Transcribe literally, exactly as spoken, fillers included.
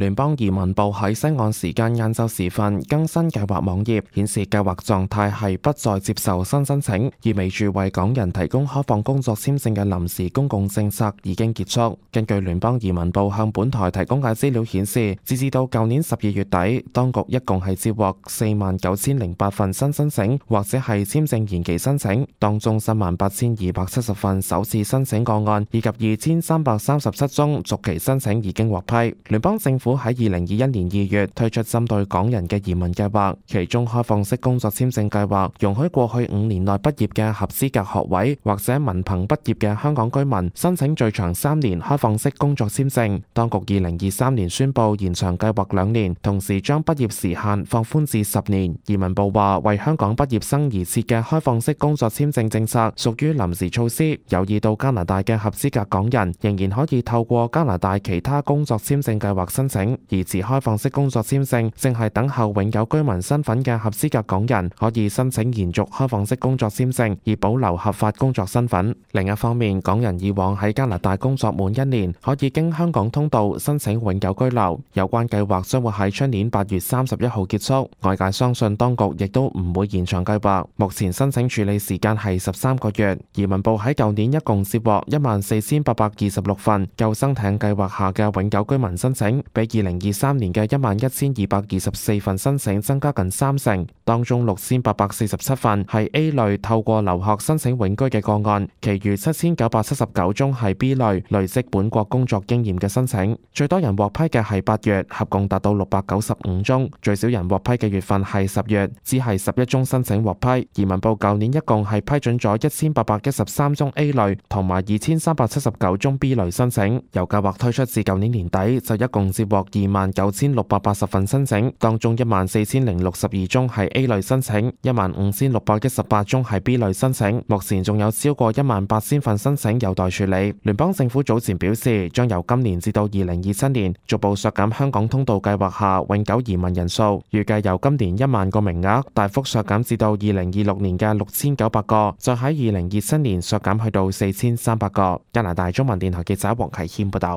聯邦移民部喺西岸時間晏晝時分更新計劃網頁，顯示計劃狀態係不再接受新申請，意味住為港人提供開放工作簽證嘅臨時公共政策已經結束。根據聯邦移民部向本台提供嘅資料顯示，截至到舊年十二月底，當局一共係接獲四萬九千零八份新申請或者係簽證延期申請，當中三萬八千二百七十份首次申請個案，以及二千三百三十七宗續期申請已經獲批。聯邦政府喺二零二一年二月推出針對港人嘅移民計劃，其中開放式工作簽證計劃容許過去五年內畢業嘅合資格學位或者文憑畢業嘅香港居民申請最長三年開放式工作簽證。當局二零二三年宣布延長計劃兩年，同時將畢業時限放寬至十年。移民部話，為香港畢業生而設嘅開放式工作簽證政策屬於臨時措施，有意到加拿大嘅合資格港人仍然可以透過加拿大其他工作簽證計劃申請，而持開放式工作簽證正係等候永久居民身份嘅合資格港人可以申請延續開放式工作簽證，以保留合法工作身份。另一方面，港人以往喺加拿大工作滿一年，可以經香港通道申請永久居留。有關計劃將會喺出年八月三十一號結束。外界相信當局亦都唔會延長計劃。目前申請處理時間係十三個月。移民部喺舊年一共接獲一萬四千八百二十六份救生艇計劃下嘅永久居民申請，比二零二三年嘅一萬一千二百二十四份申請增加近三成。當中六千八百四十七份係 A 類透過留學申請永居嘅個案，其餘七千九百七十九宗係 B 類累積本國工作經驗嘅申請。最多人獲批嘅係八月，合共達到六百九十五宗；最少人獲批嘅月份係十月，只係十一宗申請獲批。移民部舊年一共係批准咗一千八百一十三宗 A 類同埋二千三百七十九宗 B 類申請。由計劃推出至舊年年底，就一共接獲二萬九千六百八十份申請，當中一萬四千零六十二宗係 A 類申請，一萬五千六百一十八宗係 B 類申請。目前仲有超過一萬八千份申請有待處理。聯邦政府早前表示，將由今年至到二零二七年逐步削減香港通道計劃下永久移民人數，預計由今年一萬個名額大幅削減至到二零二六年嘅六千九百個，再喺二零二七年削減去到四千三百個。加拿大中文電台記者黃啟謙報道。